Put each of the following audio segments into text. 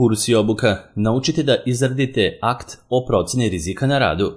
Kurs i obuka. Naučite da izradite akt o procjeni rizika na radu.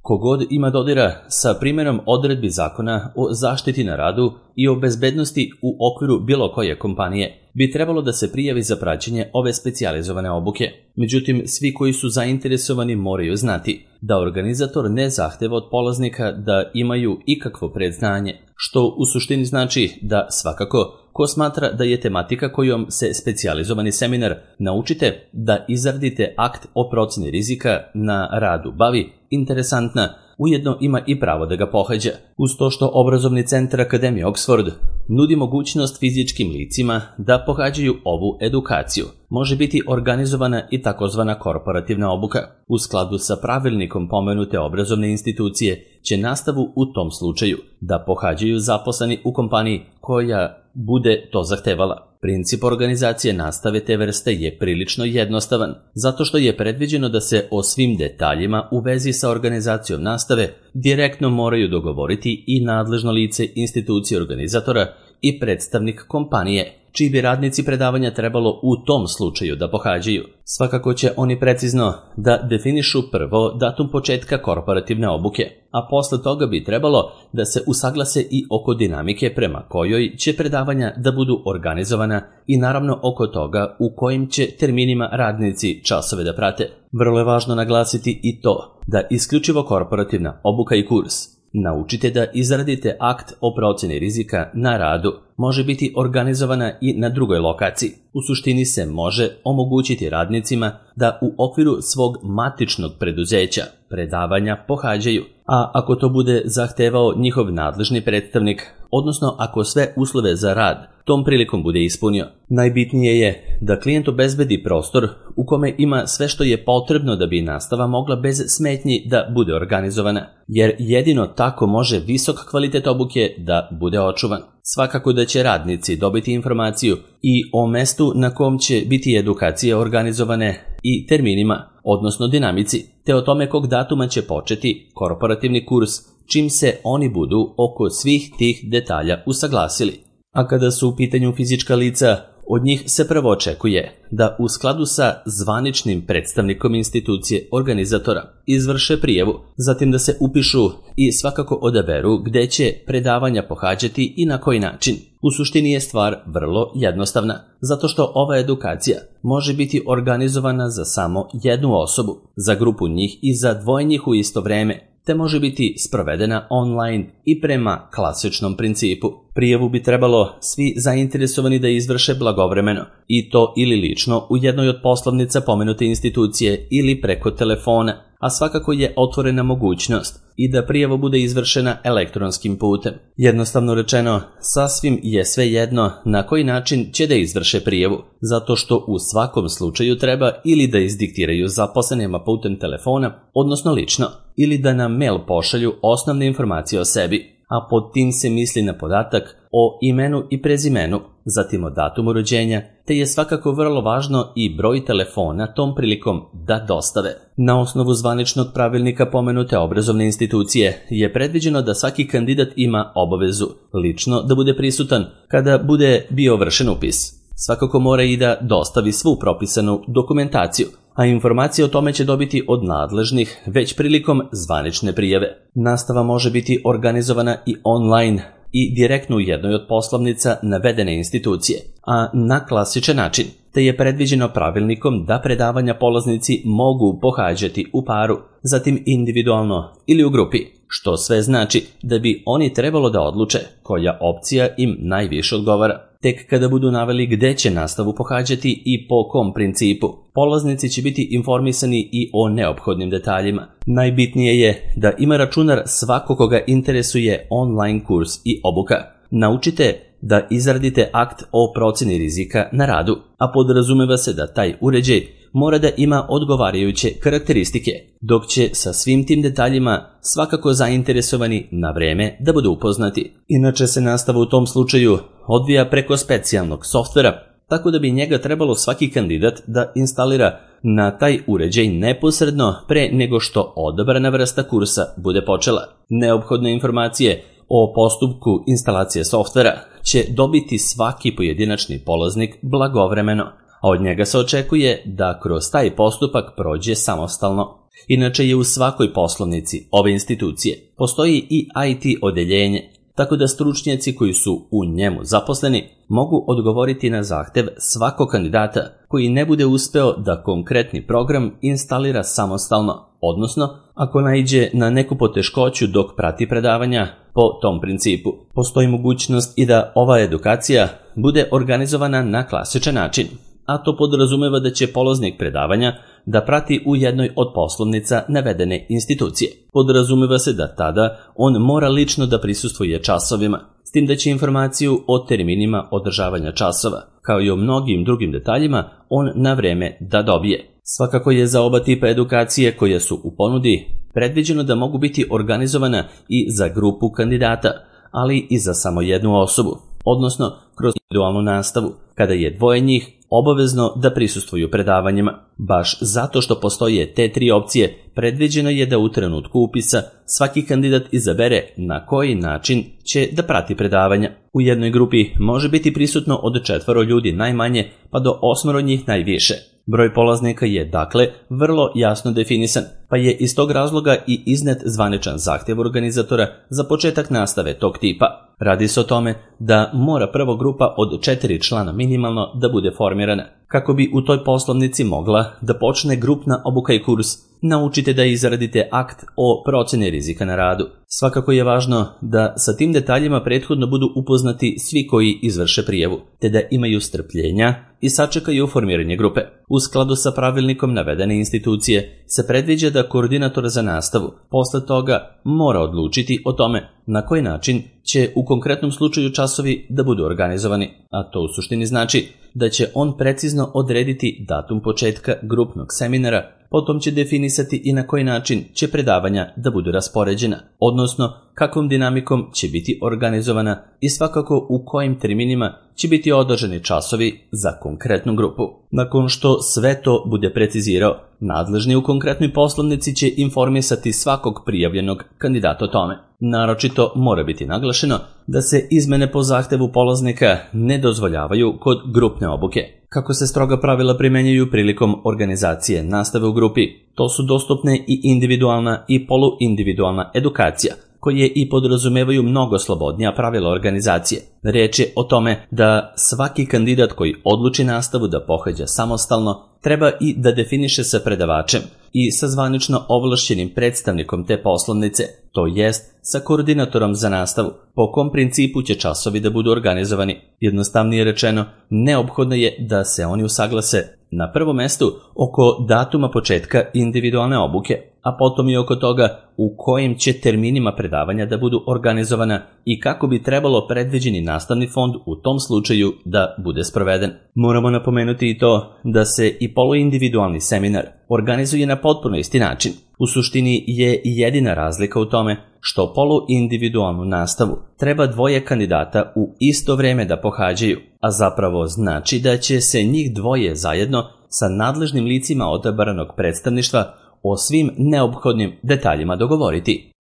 Kogod ima dodira sa primjenom odredbi zakona o zaštiti na radu i o bezbednosti u okviru bilo koje kompanije, bi trebalo da se prijavi za praćenje ove specijalizovane obuke. Međutim, svi koji su zainteresovani moraju znati da organizator ne zahteva od polaznika da imaju ikakvo predznanje, što u suštini znači da svakako ko smatra da je tematika kojom se specijalizovani seminar Naučite da izradite akt o procjeni rizika na radu bavi interesantna, ujedno ima i pravo da ga pohađa. Uz to što obrazovni centar Akademije Oxford nudi mogućnost fizičkim licima da pohađaju ovu edukaciju, može biti organizovana i takozvana korporativna obuka. U skladu sa pravilnikom pomenute obrazovne institucije će nastavu u tom slučaju da pohađaju zaposleni u kompaniji koja bude to zahtevala. Princip organizacije nastave te vrste je prilično jednostavan, zato što je predviđeno da se o svim detaljima u vezi sa organizacijom nastave direktno moraju dogovoriti i nadležno lice institucije organizatora i predstavnik kompanije, čiji bi radnici predavanja trebalo u tom slučaju da pohađaju. Svakako će oni precizno da definišu prvo datum početka korporativne obuke, a posle toga bi trebalo da se usaglase i oko dinamike prema kojoj će predavanja da budu organizovana i naravno oko toga u kojim će terminima radnici časove da prate. Vrlo je važno naglasiti i to da isključivo korporativna obuka i kurs Naučite da izradite akt o procjeni rizika na radu može biti organizovana i na drugoj lokaciji. U suštini se može omogućiti radnicima da u okviru svog matičnog preduzeća predavanja pohađaju, a ako to bude zahtevao njihov nadležni predstavnik, odnosno ako sve uslove za rad tom prilikom bude ispunio. Najbitnije je da klijent obezbedi prostor u kome ima sve što je potrebno da bi nastava mogla bez smetnji da bude organizovana, jer jedino tako može visok kvalitet obuke da bude očuvan. Svakako da će radnici dobiti informaciju i o mestu na kom će biti edukacije organizovane i terminima, odnosno dinamici, te o tome kog datuma će početi korporativni kurs, čim se oni budu oko svih tih detalja usaglasili. A kada su u pitanju fizička lica, od njih se prvo očekuje da u skladu sa zvaničnim predstavnikom institucije organizatora izvrše prijavu, zatim da se upišu i svakako odaberu gde će predavanja pohađati i na koji način. U suštini je stvar vrlo jednostavna, zato što ova edukacija može biti organizovana za samo jednu osobu, za grupu njih i za dvoje njih u isto vreme, te može biti sprovedena online i prema klasičnom principu. Prijavu bi trebalo svi zainteresovani da izvrše blagovremeno, i to ili lično u jednoj od poslovnica pomenute institucije ili preko telefona, a svakako je otvorena mogućnost i da prijava bude izvršena elektronskim putem. Jednostavno rečeno, sasvim je sve jedno na koji način će da izvrše prijavu, zato što u svakom slučaju treba ili da izdiktiraju zaposlenima putem telefona, odnosno lično, ili da na mail pošalju osnovne informacije o sebi, a pod tim se misli na podatak o imenu i prezimenu, zatim o datumu rođenja, te je svakako vrlo važno i broj telefona tom prilikom da dostave. Na osnovu zvaničnog pravilnika pomenute obrazovne institucije je predviđeno da svaki kandidat ima obavezu lično da bude prisutan kada bude bio vršen upis. Svakako mora i da dostavi svu propisanu dokumentaciju, a informacije o tome će dobiti od nadležnih već prilikom zvanične prijave. Nastava može biti organizovana i online i direktno u jednoj od poslovnica navedene institucije, a na klasičan način, te je predviđeno pravilnikom da predavanja polaznici mogu pohađati u paru, zatim individualno ili u grupi, što sve znači da bi oni trebalo da odluče koja opcija im najviše odgovara. Tek kada budu naveli gde će nastavu pohađati i po kom principu, polaznici će biti informisani i o neophodnim detaljima. Najbitnije je da ima računar svako koga interesuje online kurs i obuka. Naučite da izradite akt o procjeni rizika na radu, a podrazumeva se da taj uređaj mora da ima odgovarajuće karakteristike, dok će sa svim tim detaljima svakako zainteresovani na vreme da budu upoznati. Inače se nastava u tom slučaju odvija preko specijalnog softvera, tako da bi njega trebalo svaki kandidat da instalira na taj uređaj neposredno pre nego što odabrana vrsta kursa bude počela. Neophodne informacije o postupku instalacije softvera će dobiti svaki pojedinačni polaznik blagovremeno, a od njega se očekuje da kroz taj postupak prođe samostalno. Inače je u svakoj poslovnici ove institucije postoji i IT odeljenje, tako da stručnjaci koji su u njemu zaposleni mogu odgovoriti na zahtev svakog kandidata koji ne bude uspeo da konkretni program instalira samostalno, odnosno ako naiđe na neku poteškoću dok prati predavanja po tom principu. Postoji mogućnost i da ova edukacija bude organizovana na klasičan način, a to podrazumeva da će polaznik predavanja da prati u jednoj od poslovnica navedene institucije. Podrazumeva se da tada on mora lično da prisustvuje časovima, s tim da će informaciju o terminima održavanja časova, kao i o mnogim drugim detaljima, on na vreme da dobije. Svakako je za oba tipa edukacije koje su u ponudi predviđeno da mogu biti organizovana i za grupu kandidata, ali i za samo jednu osobu, odnosno kroz individualnu nastavu, kada je dvoje njih obavezno da prisustvuju predavanjima. Baš zato što postoje te tri opcije, predviđeno je da u trenutku upisa svaki kandidat izabere na koji način će da prati predavanja. U jednoj grupi može biti prisutno od 4 ljudi najmanje pa do 8 njih najviše. Broj polaznika je dakle vrlo jasno definisan, pa je iz tog razloga i iznet zvaničan zahtjev organizatora za početak nastave tog tipa. Radi se o tome da mora prva grupa od 4 člana minimalno da bude formirana. Kako bi u toj poslovnici mogla da počne grupna obuka i kurs, naučite da izradite akt o procjeni rizika na radu. Svakako je važno da sa tim detaljima prethodno budu upoznati svi koji izvrše prijavu, te da imaju strpljenja i sačekaju formiranje grupe. U skladu sa pravilnikom navedene institucije se predviđa da koordinator za nastavu posle toga mora odlučiti o tome na koji način će u konkretnom slučaju časovi da budu organizovani, a to u suštini znači da će on precizno odrediti datum početka grupnog seminara, potom će definisati i na koji način će predavanja da budu raspoređena, odnosno kakvom dinamikom će biti organizovana i svakako u kojim terminima će biti održani časovi za konkretnu grupu. Nakon što sve to bude precizirao, nadležni u konkretnoj poslovnici će informisati svakog prijavljenog kandidata o tome. Naročito mora biti naglašeno da se izmene po zahtevu polaznika ne dozvoljavaju kod grupne obuke. Kako se stroga pravila primenjuju prilikom organizacije nastave u grupi, to su dostupne i individualna i poluindividualna edukacija, koje i podrazumevaju mnogo slobodnija pravila organizacije. Reč je o tome da svaki kandidat koji odluči nastavu da pohađa samostalno treba i da definiše sa predavačem i sa zvanično ovlašćenim predstavnikom te poslovnice, to jest sa koordinatorom za nastavu, po kom principu će časovi da budu organizovani. Jednostavnije rečeno, neophodno je da se oni usaglase na prvom mestu oko datuma početka individualne obuke, a potom i oko toga u kojim će terminima predavanja da budu organizovana i kako bi trebalo predviđeni nastavni fond u tom slučaju da bude sproveden. Moramo napomenuti i to da se i poluindividualni seminar organizuje na potpuno isti način. U suštini je jedina razlika u tome što poluindividualnu nastavu treba dvoje kandidata u isto vreme da pohađaju, a zapravo znači da će se njih dvoje zajedno sa nadležnim licima odabranog predstavništva o svim neophodnim detaljima dogovoriti.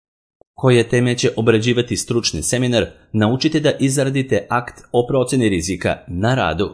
Koje teme će obrađivati stručni seminar, naučite da izradite akt o procjeni rizika na radu.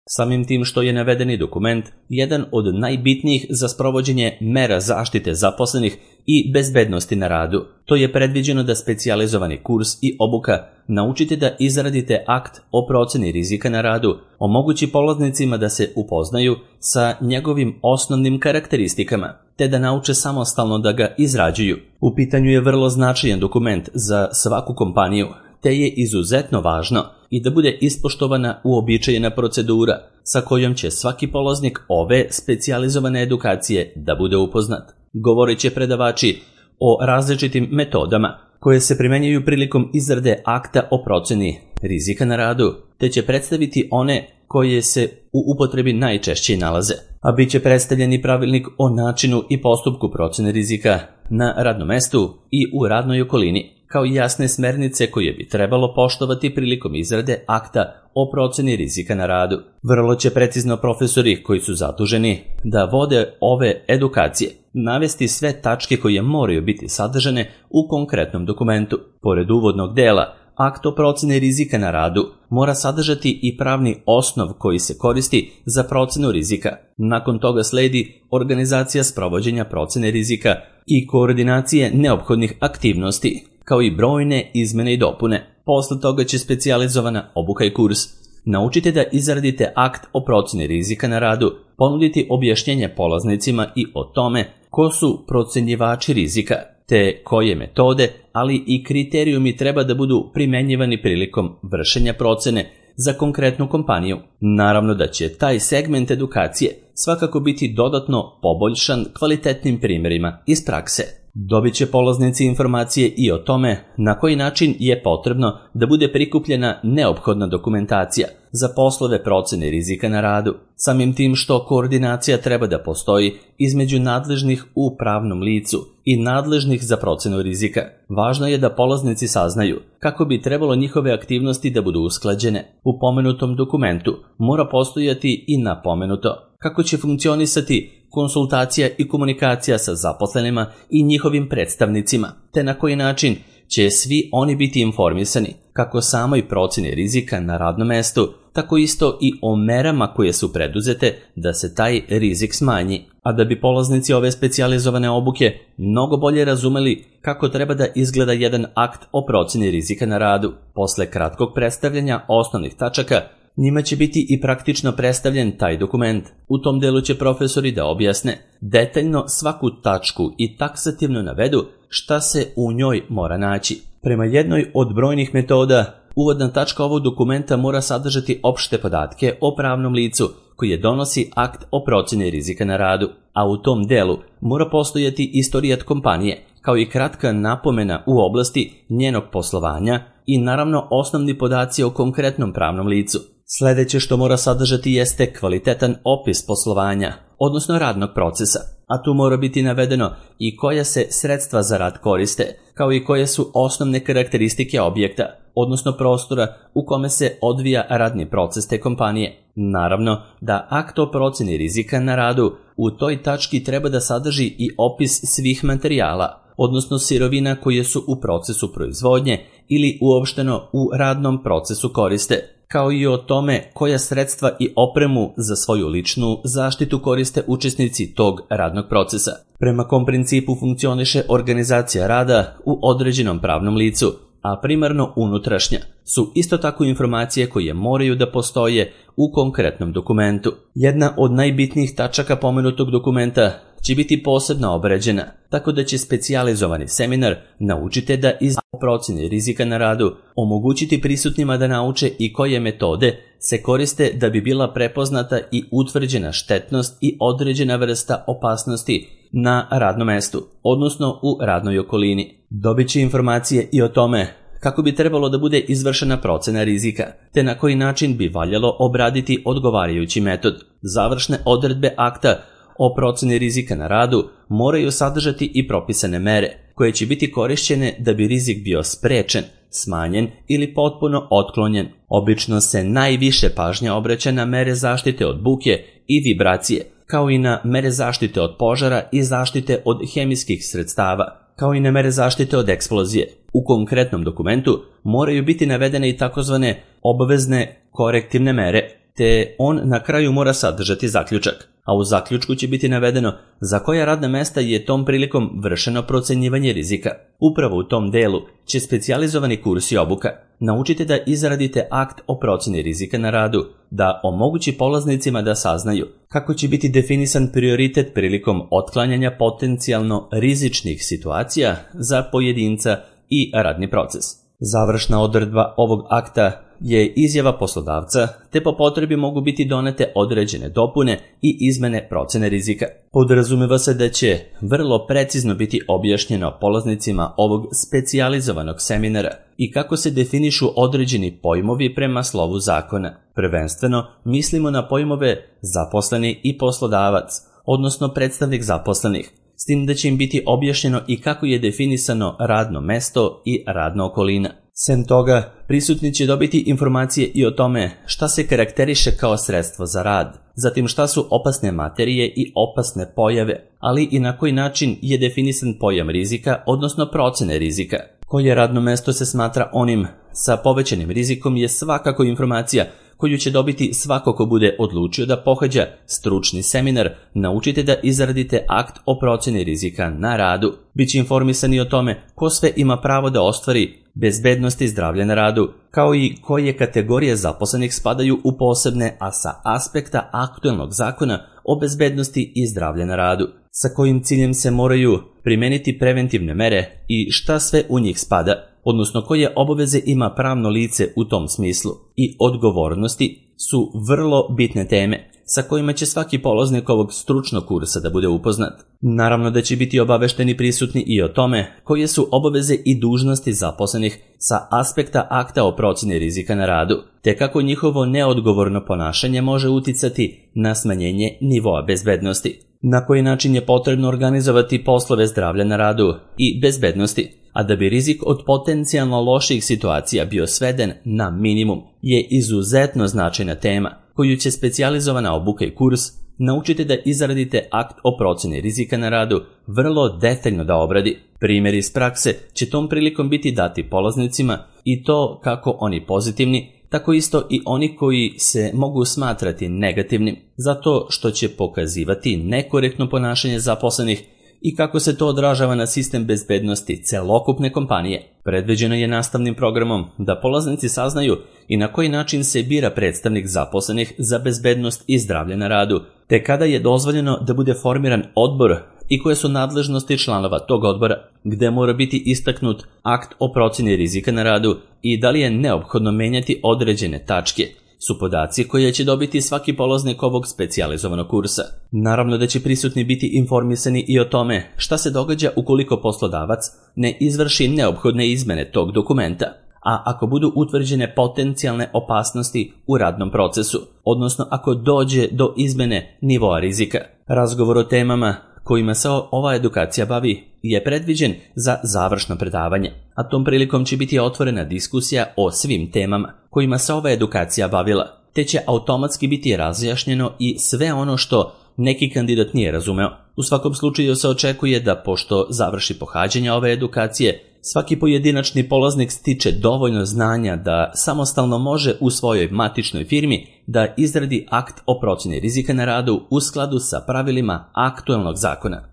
Samim tim što je navedeni dokument jedan od najbitnijih za sprovođenje mera zaštite zaposlenih i bezbednosti na radu, to je predviđeno da specijalizovani kurs i obuka naučite da izradite akt o procjeni rizika na radu, omogući polaznicima da se upoznaju sa njegovim osnovnim karakteristikama, te da nauče samostalno da ga izrađuju. U pitanju je vrlo značajan dokument za svaku kompaniju, te je izuzetno važno i da bude ispoštovana uobičajena procedura sa kojom će svaki polaznik ove specijalizovane edukacije da bude upoznat. Govorit će predavači o različitim metodama koje se primenjuju prilikom izrade akta o procjeni rizika na radu, te će predstaviti one koje se u upotrebi najčešće nalaze, a bit će predstavljen i pravilnik o načinu i postupku procjene rizika na radnom mestu i u radnoj okolini, kao i jasne smernice koje bi trebalo poštovati prilikom izrade akta o procjeni rizika na radu. Vrlo će precizno profesori koji su zaduženi da vode ove edukacije navesti sve tačke koje moraju biti sadržane u konkretnom dokumentu. Pored uvodnog dela, akt o proceni rizika na radu mora sadržati i pravni osnov koji se koristi za procenu rizika. Nakon toga sledi organizacija sprovođenja procene rizika i koordinacije neophodnih aktivnosti, kao i brojne izmene i dopune. Posle toga će specijalizovana obuka i kurs. Naučite da izradite akt o proceni rizika na radu, ponuditi objašnjenje polaznicima i o tome ko su procenjivači rizika, te koje metode, ali i kriterijumi treba da budu primenjivani prilikom vršenja procene za konkretnu kompaniju. Naravno da će taj segment edukacije svakako biti dodatno poboljšan kvalitetnim primjerima iz prakse. Dobit će polaznici informacije i o tome na koji način je potrebno da bude prikupljena neophodna dokumentacija za poslove procene rizika na radu, samim tim što koordinacija treba da postoji između nadležnih u pravnom licu i nadležnih za procenu rizika. Važno je da polaznici saznaju kako bi trebalo njihove aktivnosti da budu usklađene. U pomenutom dokumentu mora postojati i napomenuto kako će funkcionisati konsultacija i komunikacija sa zaposlenima i njihovim predstavnicima, te na koji način će svi oni biti informisani kako samoj proceni rizika na radnom mestu, tako isto i o merama koje su preduzete da se taj rizik smanji. A da bi polaznici ove specijalizovane obuke mnogo bolje razumeli kako treba da izgleda jedan akt o proceni rizika na radu, posle kratkog predstavljanja osnovnih tačaka, njima će biti i praktično predstavljen taj dokument. U tom delu će profesori da objasne detaljno svaku tačku i taksativno navedu šta se u njoj mora naći. Prema jednoj od brojnih metoda, uvodna tačka ovog dokumenta mora sadržati opšte podatke o pravnom licu koje donosi akt o proceni rizika na radu, a u tom delu mora postojati istorijat kompanije, kao i kratka napomena u oblasti njenog poslovanja i naravno osnovni podaci o konkretnom pravnom licu. Sljedeće što mora sadržati jeste kvalitetan opis poslovanja, odnosno radnog procesa, a tu mora biti navedeno i koja se sredstva za rad koriste, kao i koje su osnovne karakteristike objekta, odnosno prostora u kome se odvija radni proces te kompanije. Naravno da akt o proceni rizika na radu u toj tački treba da sadrži i opis svih materijala, odnosno sirovina koje su u procesu proizvodnje ili uopšteno u radnom procesu koriste, kao i o tome koja sredstva i opremu za svoju ličnu zaštitu koriste učesnici tog radnog procesa. Prema kom principu funkcioniše organizacija rada u određenom pravnom licu, a primarno unutrašnja, su isto tako informacije koje moraju da postoje u konkretnom dokumentu. Jedna od najbitnijih tačaka pomenutog dokumenta će biti posebno obrađena, tako da će specijalizovani seminar naučite da iz procene rizika na radu omogućiti prisutnima da nauče i koje metode se koriste da bi bila prepoznata i utvrđena štetnost i određena vrsta opasnosti na radnom mestu, odnosno u radnoj okolini. Dobit će informacije i o tome kako bi trebalo da bude izvršena procena rizika, te na koji način bi valjalo obraditi odgovarajući metod. Završne odredbe akta o proceni rizika na radu moraju sadržati i propisane mere, koje će biti korišćene da bi rizik bio sprečen, smanjen ili potpuno otklonjen. Obično se najviše pažnja obraća na mere zaštite od buke i vibracije, kao i na mere zaštite od požara i zaštite od hemijskih sredstava, kao i na mere zaštite od eksplozije. U konkretnom dokumentu moraju biti navedene i takozvane obavezne korektivne mere, te on na kraju mora sadržati zaključak, a u zaključku će biti navedeno za koja radna mesta je tom prilikom vršeno procenjivanje rizika. Upravo u tom delu će specijalizovani kurs i obuka naučite da izradite akt o proceni rizika na radu, da omogući polaznicima da saznaju kako će biti definisan prioritet prilikom otklanjanja potencijalno rizičnih situacija za pojedinca i radni proces. Završna odredba ovog akta je izjava poslodavca, te po potrebi mogu biti donete određene dopune i izmene procene rizika. Podrazumeva se da će vrlo precizno biti objašnjeno polaznicima ovog specijalizovanog seminara i kako se definišu određeni pojmovi prema slovu zakona. Prvenstveno mislimo na pojmove zaposleni i poslodavac, odnosno predstavnik zaposlenih, s tim da će im biti objašnjeno i kako je definisano radno mesto i radna okolina. Sem toga, prisutni će dobiti informacije i o tome šta se karakteriše kao sredstvo za rad, zatim šta su opasne materije i opasne pojave, ali i na koji način je definisan pojam rizika, odnosno procene rizika. Koje radno mesto se smatra onim sa povećanim rizikom je svakako informacija koju će dobiti svako ko bude odlučio da pohađa stručni seminar Naučite da izradite akt o procjeni rizika na radu. Biće informisani o tome ko sve ima pravo da ostvari bezbednost i zdravlje na radu, kao i koje kategorije zaposlenih spadaju u posebne, a sa aspekta aktuelnog zakona o bezbednosti i zdravlje na radu, sa kojim ciljem se moraju primeniti preventivne mere i šta sve u njih spada, odnosno koje obaveze ima pravno lice u tom smislu, i odgovornosti su vrlo bitne teme sa kojima će svaki polaznik ovog stručnog kursa da bude upoznat. Naravno da će biti obavešteni prisutni i o tome koje su obaveze i dužnosti zaposlenih sa aspekta akta o procjeni rizika na radu, te kako njihovo neodgovorno ponašanje može uticati na smanjenje nivoa bezbednosti, na koji način je potrebno organizovati poslove zdravlja na radu i bezbednosti, a da bi rizik od potencijalno loših situacija bio sveden na minimum, je izuzetno značajna tema koju će specijalizovana obuka i kurs Naučite da izradite akt o procjeni rizika na radu vrlo detaljno da obradi. Primjeri iz prakse će tom prilikom biti dati polaznicima, i to kako oni pozitivni, tako isto i oni koji se mogu smatrati negativnim, zato što će pokazivati nekorektno ponašanje zaposlenih i kako se to odražava na sistem bezbednosti celokupne kompanije. Predviđeno je nastavnim programom da polaznici saznaju i na koji način se bira predstavnik zaposlenih za bezbednost i zdravlje na radu, te kada je dozvoljeno da bude formiran odbor i koje su nadležnosti članova tog odbora, gde mora biti istaknut akt o procjeni rizika na radu i da li je neophodno menjati određene tačke, su podaci koje će dobiti svaki polaznik ovog specijalizovanog kursa. Naravno da će prisutni biti informisani i o tome šta se događa ukoliko poslodavac ne izvrši neophodne izmene tog dokumenta, a ako budu utvrđene potencijalne opasnosti u radnom procesu, odnosno ako dođe do izmene nivoa rizika. Razgovor o temama kojima se ova edukacija bavi je predviđen za završno predavanje, a tom prilikom će biti otvorena diskusija o svim temama kojima se ova edukacija bavila, te će automatski biti razjašnjeno i sve ono što neki kandidat nije razumeo. U svakom slučaju se očekuje da, pošto završi pohađanje ove edukacije, svaki pojedinačni polaznik stiče dovoljno znanja da samostalno može u svojoj matičnoj firmi da izradi akt o procjeni rizika na radu u skladu sa pravilima aktuelnog zakona.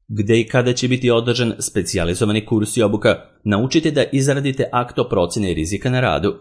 Gde i kada će biti održan specijalizovani kurs i obuka, naučite da izradite akt o procjeni rizika na radu.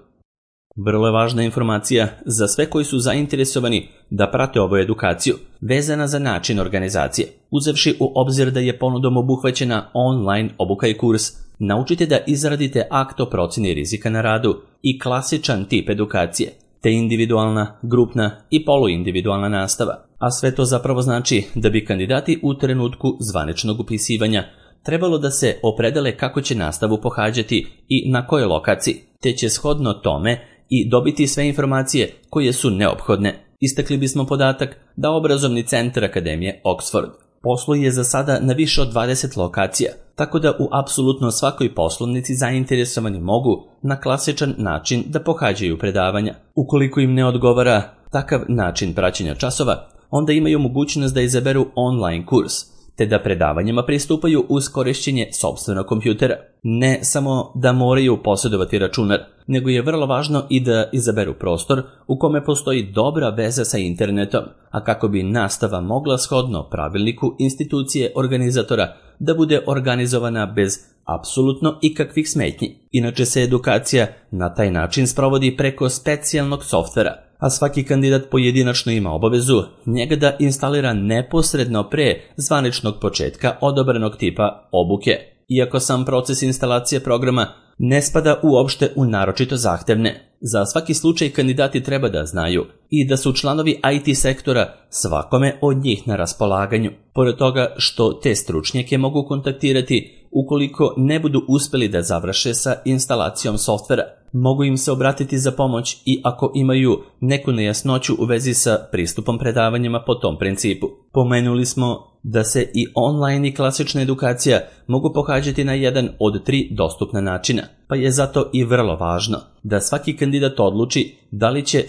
Vrlo je važna informacija za sve koji su zainteresovani da prate ovu edukaciju, vezana za način organizacije. Uzevši u obzir da je ponudom obuhvaćena online obuka i kurs, naučite da izradite akt o procjeni rizika na radu i klasičan tip edukacije, te individualna, grupna i poluindividualna nastava. A sve to zapravo znači da bi kandidati u trenutku zvaničnog upisivanja trebalo da se opredele kako će nastavu pohađati i na kojoj lokaciji, te će shodno tome i dobiti sve informacije koje su neophodne. Istakli bismo podatak da obrazovni centar Akademije Oxford posluje za sada na više od 20 lokacija, tako da u apsolutno svakoj poslovnici zainteresovani mogu na klasičan način da pohađaju predavanja. Ukoliko im ne odgovara takav način praćenja časova, onda imaju mogućnost da izaberu online kurs, te da predavanjima pristupaju uz korišćenje sopstvenog kompjutera. Ne samo da moraju posjedovati računar, nego je vrlo važno i da izaberu prostor u kome postoji dobra veza sa internetom, a kako bi nastava mogla shodno pravilniku institucije organizatora da bude organizovana bez apsolutno ikakvih smetnji. Inače se edukacija na taj način sprovodi preko specijalnog softvera, a svaki kandidat pojedinačno ima obavezu njega da instalira neposredno pre zvaničnog početka odobrenog tipa obuke. Iako sam proces instalacije programa ne spada uopšte u naročito zahtevne, za svaki slučaj kandidati treba da znaju i da su članovi IT sektora svakome od njih na raspolaganju. Pored toga što te stručnjake mogu kontaktirati ukoliko ne budu uspeli da završe sa instalacijom softvera. Mogu im se obratiti za pomoć i ako imaju neku nejasnoću u vezi sa pristupom predavanjima po tom principu. Pomenuli smo da se i online i klasična edukacija mogu pohađati na jedan od 3 dostupna načina, pa je zato i vrlo važno da svaki kandidat odluči da li će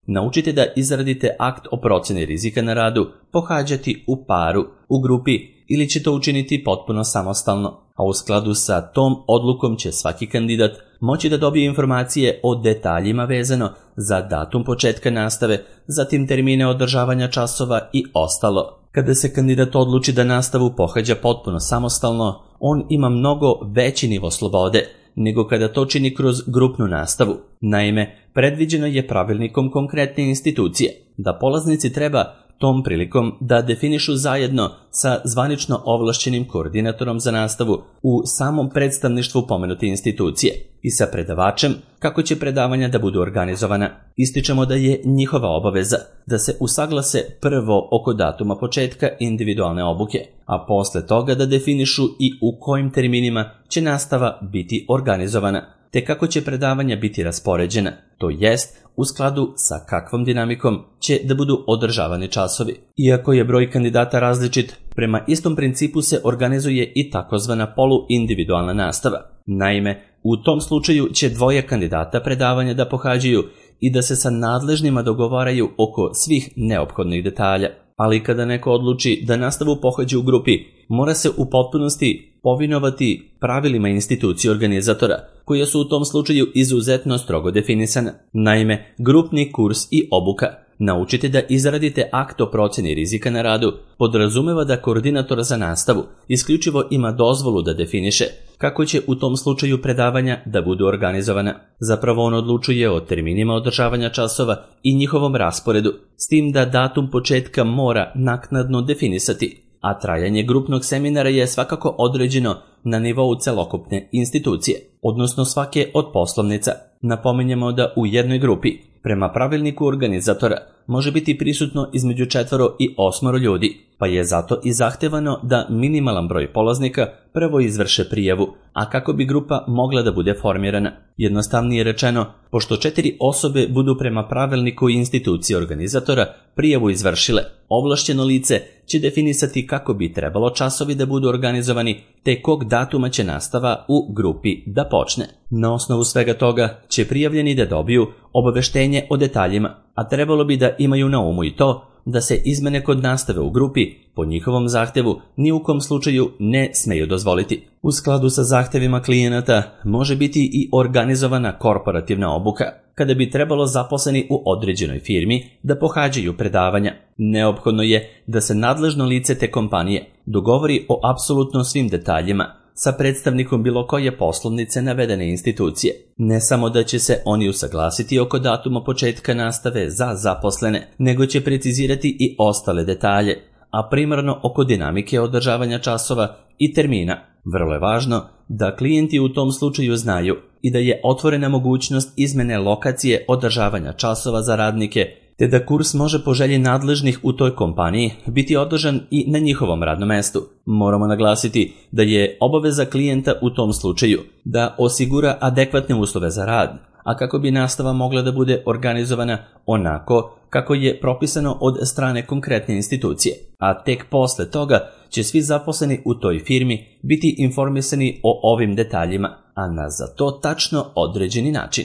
naučite da izradite akt o procjeni rizika na radu pohađati u paru, u grupi ili će to učiniti potpuno samostalno, a u skladu sa tom odlukom će svaki kandidat moći da dobije informacije o detaljima vezano za datum početka nastave, zatim termine održavanja časova i ostalo. Kada se kandidat odluči da nastavu pohađa potpuno samostalno, on ima mnogo veći nivo slobode nego kada to čini kroz grupnu nastavu. Naime, predviđeno je pravilnikom konkretne institucije da polaznici treba tom prilikom da definišu zajedno sa zvanično ovlašćenim koordinatorom za nastavu u samom predstavništvu pomenute institucije i sa predavačem kako će predavanja da budu organizovana. Ističemo da je njihova obaveza da se usaglase prvo oko datuma početka individualne obuke, a posle toga da definišu i u kojim terminima će nastava biti organizovana, te kako će predavanja biti raspoređena, to jest u skladu sa kakvom dinamikom će da budu održavani časovi. Iako je broj kandidata različit, prema istom principu se organizuje i takozvana poluindividualna nastava. Naime, u tom slučaju će dvoje kandidata predavanja da pohađaju i da se sa nadležnima dogovaraju oko svih neophodnih detalja. Ali kada neko odluči da nastavu pohađa u grupi, mora se u potpunosti povinovati pravilima institucije organizatora, koje su u tom slučaju izuzetno strogo definisane. Naime, grupni kurs i obuka Naučite da izradite akt o procjeni rizika na radu podrazumeva da koordinator za nastavu isključivo ima dozvolu da definiše kako će u tom slučaju predavanja da budu organizovana. Zapravo on odlučuje o terminima održavanja časova i njihovom rasporedu, s tim da datum početka mora naknadno definisati, a trajanje grupnog seminara je svakako određeno na nivou celokupne institucije, odnosno svake od poslovnica. Napominjemo da u jednoj grupi, prema pravilniku organizatora, može biti prisutno između 4 i 8 ljudi, pa je zato i zahtevano da minimalan broj polaznika prvo izvrše prijavu, a kako bi grupa mogla da bude formirana. Jednostavnije rečeno, pošto 4 osobe budu prema pravilniku institucije organizatora prijavu izvršile, ovlašćeno lice će definisati kako bi trebalo časovi da budu organizovani, te kog datuma će nastava u grupi da počne. Na osnovu svega toga će prijavljeni da dobiju obaveštenje o detaljima, a trebalo bi da imaju na umu i to da se izmene kod nastave u grupi po njihovom zahtevu ni u kom slučaju ne smeju dozvoliti. U skladu sa zahtevima klijenata može biti i organizovana korporativna obuka, kada bi trebalo zaposleni u određenoj firmi da pohađaju predavanja. Neophodno je da se nadležno lice te kompanije dogovori o apsolutno svim detaljima sa predstavnikom bilo koje poslovnice navedene institucije. Ne samo da će se oni usaglasiti oko datuma početka nastave za zaposlene, nego će precizirati i ostale detalje, a primarno oko dinamike održavanja časova i termina. Vrlo je važno da klijenti u tom slučaju znaju i da je otvorena mogućnost izmene lokacije održavanja časova za radnike, te da kurs može po želji nadležnih u toj kompaniji biti održan i na njihovom radnom mestu. Moramo naglasiti da je obaveza klijenta u tom slučaju da osigura adekvatne uslove za rad, a kako bi nastava mogla da bude organizovana onako kako je propisano od strane konkretne institucije, a tek posle toga će svi zaposleni u toj firmi biti informisani o ovim detaljima, a na za to tačno određeni način.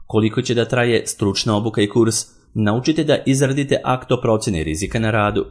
Koliko će da traje stručna obuka i kurs? Naučite da izradite akt o procjeni rizika na radu.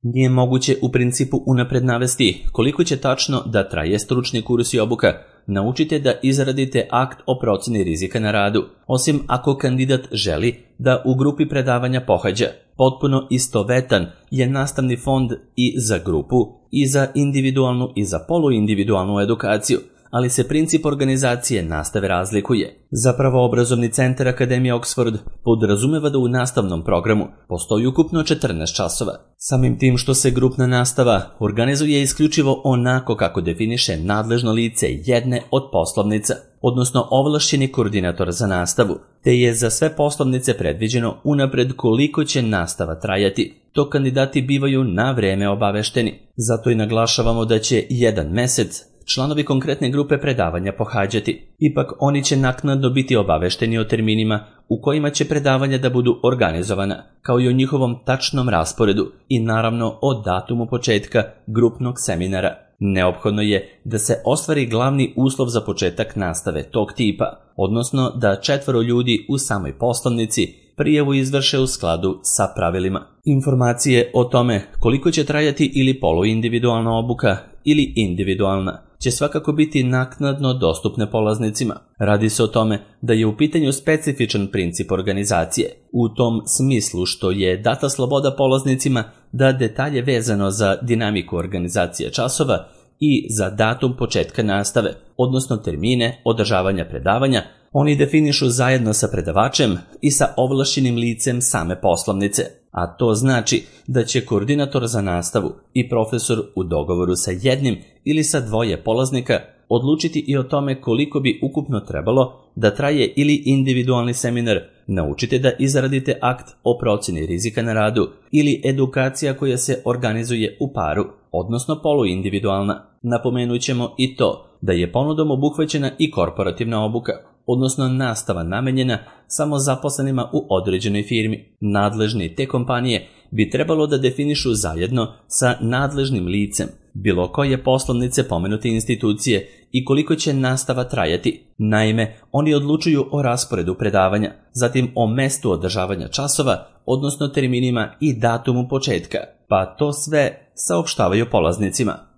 Nije moguće u principu unapred navesti koliko će tačno da traje stručni kurs i obuka. Naučite da izradite akt o procjeni rizika na radu, osim ako kandidat želi da u grupi predavanja pohađa. Potpuno istovetan je nastavni fond i za grupu, i za individualnu i za poluindividualnu edukaciju, ali se princip organizacije nastave razlikuje. Zapravo obrazovni centar Akademije Oxford podrazumeva da u nastavnom programu postoji ukupno 14 časova. Samim tim što se grupna nastava organizuje isključivo onako kako definiše nadležno lice jedne od poslovnica, odnosno ovlašćeni koordinator za nastavu, te je za sve poslovnice predviđeno unapred koliko će nastava trajati. To kandidati bivaju na vreme obavešteni. Zato i naglašavamo da će jedan mesec članovi konkretne grupe predavanja pohađati. Ipak oni će naknadno biti obavešteni o terminima u kojima će predavanja da budu organizovana, kao i o njihovom tačnom rasporedu i naravno o datumu početka grupnog seminara. Neophodno je da se ostvari glavni uslov za početak nastave tog tipa, odnosno da 4 ljudi u samoj poslovnici prijavu izvrše u skladu sa pravilima. Informacije o tome koliko će trajati ili poluindividualna obuka ili individualna će svakako biti naknadno dostupne polaznicima. Radi se o tome da je u pitanju specifičan princip organizacije, u tom smislu što je data sloboda polaznicima da detalje vezano za dinamiku organizacije časova i za datum početka nastave, odnosno termine održavanja predavanja, oni definišu zajedno sa predavačem i sa ovlašćenim licem same poslovnice, a to znači da će koordinator za nastavu i profesor u dogovoru sa jednim ili sa dvoje polaznika odlučiti i o tome koliko bi ukupno trebalo da traje ili individualni seminar, naučite da izradite akt o procjeni rizika na radu ili edukacija koja se organizuje u paru, odnosno poluindividualna. Napomenut ćemo i to da je ponudom obuhvaćena i korporativna obuka, odnosno nastava namenjena samo zaposlenima u određenoj firmi. Nadležni te kompanije bi trebalo da definišu zajedno sa nadležnim licem bilo koje poslovnice pomenute institucije i koliko će nastava trajati. Naime, oni odlučuju o rasporedu predavanja, zatim o mestu održavanja časova, odnosno terminima i datumu početka, pa to sve saopštavaju polaznicima.